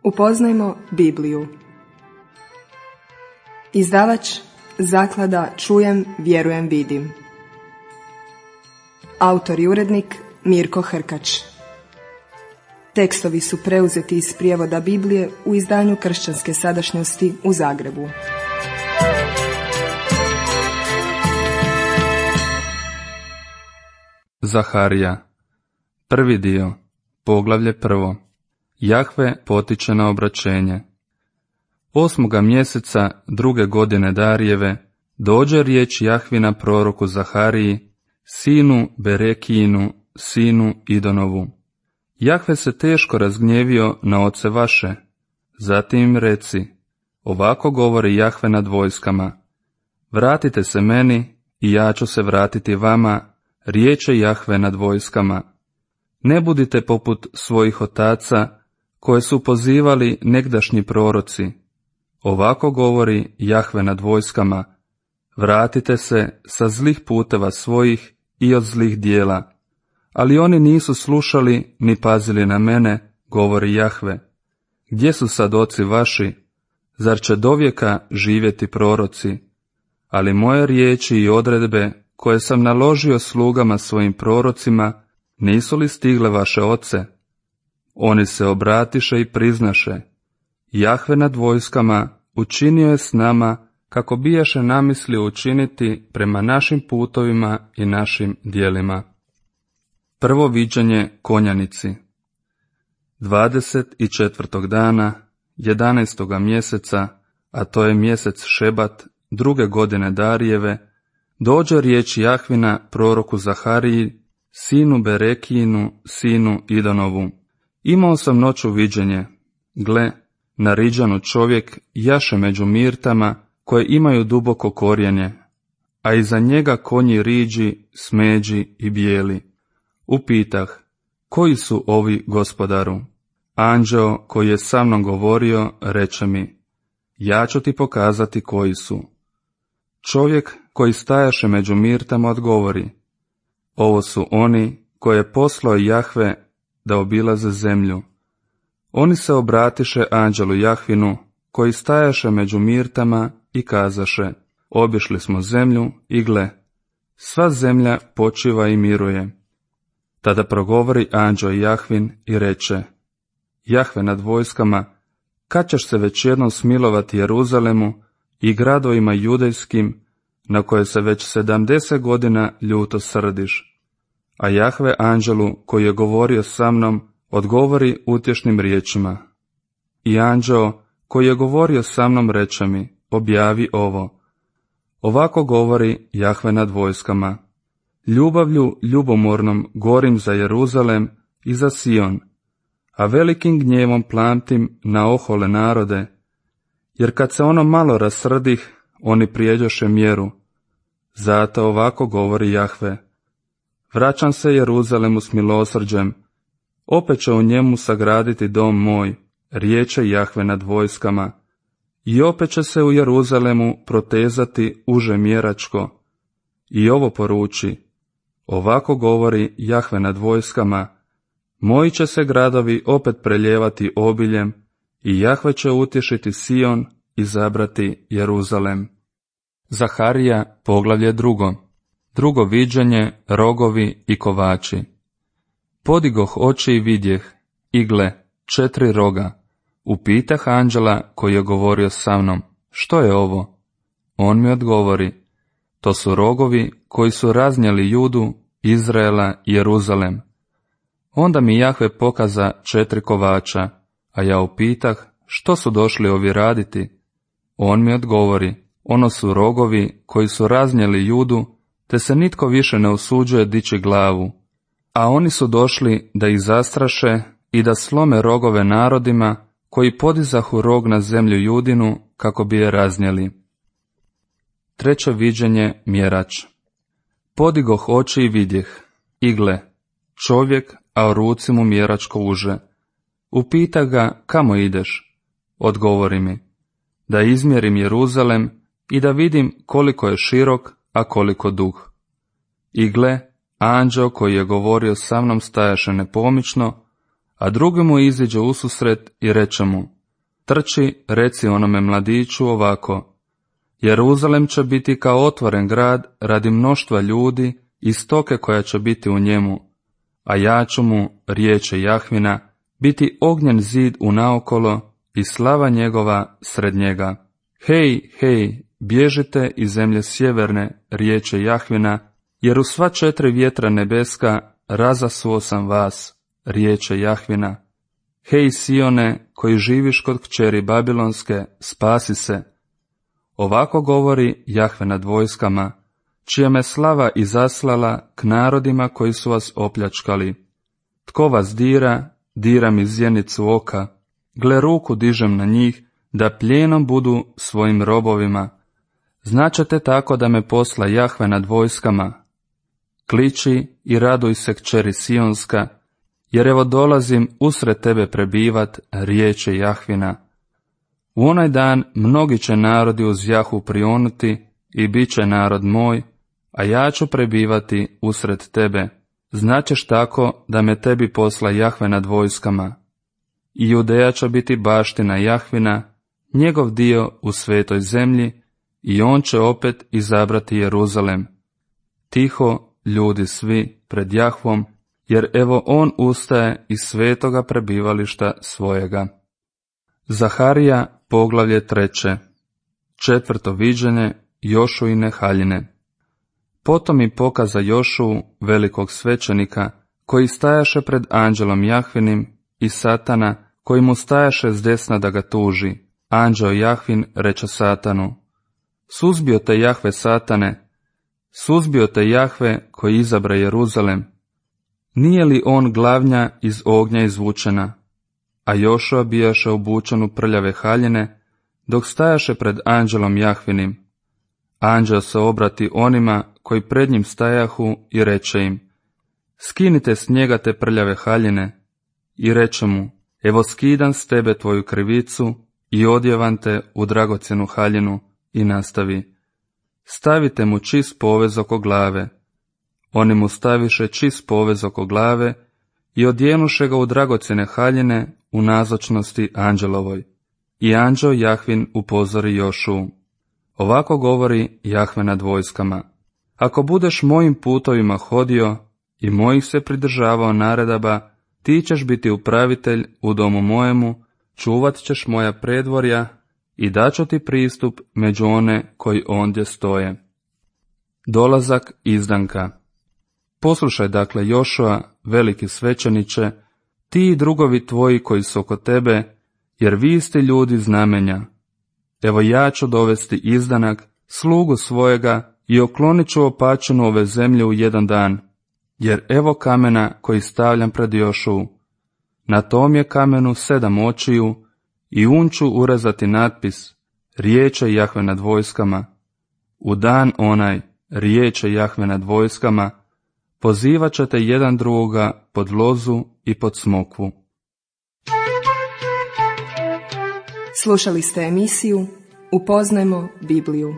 Upoznajmo Bibliju. Izdavač Zaklada Čujem, vjerujem, vidim. Autor i urednik Mirko Hrkač. Tekstovi su preuzeti iz prijevoda Biblije u izdanju Kršćanske sadašnjosti u Zagrebu. Zaharija. Prvi dio, poglavlje 1. Jahve potiče na obraćenje. 8. mjeseca 2. godine Darijeve dođe riječ Jahvina proroku Zahariji, sinu Berekijinu, sinu Idonovu. Jahve se teško razgnjevio na oce vaše. Zatim im reci, ovako govori Jahve nad vojskama, vratite se meni i ja ću se vratiti vama, riječe Jahve nad vojskama. Ne budite poput svojih otaca, koje su pozivali negdašnji proroci. Ovako govori Jahve nad vojskama, vratite se sa zlih puteva svojih i od zlih dijela. Ali oni nisu slušali ni pazili na mene, govori Jahve. Gdje su sad oci vaši? Zar će dovijeka živjeti proroci? Ali moje riječi i odredbe, koje sam naložio slugama svojim prorocima, nisu li stigle vaše oce? Oni se obratiše i priznaše, Jahve nad vojskama učinio je s nama kako bijaše namislio učiniti prema našim putovima i našim djelima. Prvo viđenje konjanici. 24. dana 11. mjeseca, a to je mjesec Šebat 2. godine Darijeve, dođe riječ Jahvina proroku Zahariji, sinu Berekijinu, sinu Idonovu. Imao sam noću viđenje. Gle, na Riđanu čovjek jaše među mirtama koje imaju duboko korijenje, a iza njega konji riđi, smeđi i bijeli. Upitah, koji su ovi, gospodaru? Anđeo koji je sa mnom govorio reče mi, ja ću ti pokazati koji su. Čovjek koji stajaše među mirtama odgovori, ovo su oni koje je poslao Jahve da obilaze zemlju. Oni se obratiše anđelu Jahvinu, koji stajaše među mirtama i kazaše, obišli smo zemlju i gle, sva zemlja počiva i miruje. Tada progovori anđeo Jahvin i reče, Jahve nad vojskama, kad ćeš se već jednom smilovati Jeruzalemu i gradovima judejskim, na koje se već 70 godina ljuto srdiš? A Jahve anđelu koji je govorio sa mnom odgovori utješnim riječima. I anđeo koji je govorio sa mnom reče mi, objavi ovo. Ovako govori Jahve nad vojskama. Ljubavlju ljubomornom gorim za Jeruzalem i za Sion, a velikim gnjevom plamtim na ohole narode, jer kad se ono malo rasrdih, oni prijeđoše mjeru. Zato ovako govori Jahve. Vraćam se Jeruzalemu s milosrđem, opet će u njemu sagraditi dom moj, riječe Jahve nad vojskama, i opet će se u Jeruzalemu protezati uže mjeračko. I ovo poruči, ovako govori Jahve nad vojskama, moji će se gradovi opet preljevati obiljem, i Jahve će utješiti Sion i zabrati Jeruzalem. Zaharija, poglavlje 2. Drugo viđenje, rogovi i kovači. Podigoh oči i vidjeh, i gle, 4 roga. Upitah anđela koji je govorio sa mnom, što je ovo? On mi odgovori, to su rogovi koji su raznijeli Judu, Izraela i Jeruzalem. Onda mi Jahve pokaza 4 kovača, a ja upitah, što su došli ovi raditi? On mi odgovori, ono su rogovi koji su raznijeli Judu, te se nitko više ne usuđuje dići glavu. A oni su došli da ih zastraše i da slome rogove narodima koji podizahu rog na zemlju Judinu kako bi je raznijeli. Treće viđenje, mjerač. Podigoh oči i vidjeh, i gle, čovjek, a u ruci mu mjeračko uže. Upita ga, kamo ideš? Odgovori mi, da izmjerim Jeruzalem i da vidim koliko je širok, a koliko dug. I gle, anđeo koji je govorio sa mnom stajaše nepomično, a drugi mu iziđe ususret i reče mu, trči, reci onome mladiću ovako: Jeruzalem će biti kao otvoren grad radi mnoštva ljudi i stoke koja će biti u njemu, a ja ću mu, riječe Jahvina, biti ognjen zid unaokolo i slava njegova sred njega. Hej, hej, bježite iz zemlje sjeverne, riječe Jahvina, jer u sva 4 vjetra nebeska razasuo sam vas, riječe Jahvina. Hej Sione, koji živiš kod kćeri Babilonske, spasi se. Ovako govori Jahve nad vojskama, čija me slava izaslala k narodima koji su vas opljačkali. Tko vas dira, dira mi zjenicu oka, gle ruku dižem na njih, da plijenom budu svojim robovima. Značete tako da me posla Jahve nad vojskama. Kliči i raduj se kćeri Sionska, jer evo dolazim usred tebe prebivat, riječe Jahvina. U onaj dan mnogi će narodi uz Jahu prionuti i bit će narod moj, a ja ću prebivati usred tebe. Značeš tako da me tebi posla Jahve nad vojskama. I Judeja će biti baština Jahvina, njegov dio u svetoj zemlji, i on će opet izabrati Jeruzalem. Tiho, ljudi svi, pred Jahvom, jer evo on ustaje iz svetoga prebivališta svojega. Zaharija, poglavlje 3. 4. viđenje Jošuine haljine. Potom mi pokaza Jošuu, velikog svećenika, koji stajaše pred anđelom Jahvinim, i Satana, koji mu stajaše zdesna da ga tuži. Anđeo Jahvin reče Satanu: Suzbio te Jahve, Satane, suzbio te Jahve koji izabra Jeruzalem. Nije li on glavnja iz ognja izvučena? A Jošua bijaše obučen u prljave haljine, dok stajaše pred anđelom Jahvinim. Anđeo se obrati onima koji pred njim stajahu i reče im: Skinite s njega te prljave haljine. I reče mu: Evo skidam s tebe tvoju krivicu i odjevam te u dragocjenu haljinu. I nastavi: Stavite mu čist povez oko glave. Oni mu staviše čist povez oko glave i odjenuše ga u dragocjene haljine u nazočnosti anđelovoj. I anđeo Jahvin upozori Jošuu: Ovako govori Jahve nad vojskama: Ako budeš mojim putovima hodio i mojih se pridržavao naredaba, ti ćeš biti upravitelj u domu mojemu, čuvat ćeš moja predvorja i daću ti pristup među one koji ondje stoje. Dolazak izdanka. Poslušaj dakle Jošua, veliki svećeniče, ti i drugovi tvoji koji su oko tebe, jer vi ste ljudi znamenja. Evo ja ću dovesti izdanak, slugu svojega, i oklonit ću opačinu ove zemlje u jedan dan, jer evo kamena koji stavljam pred Jošuu. Na tom je kamenu 7 očiju, i un ću urezati natpis: Riječe Jahve nad vojskama. U dan onaj, riječe Jahve nad vojskama, pozivat ćete jedan drugoga pod lozu i pod smokvu. Slušali ste emisiju Upoznajmo Bibliju.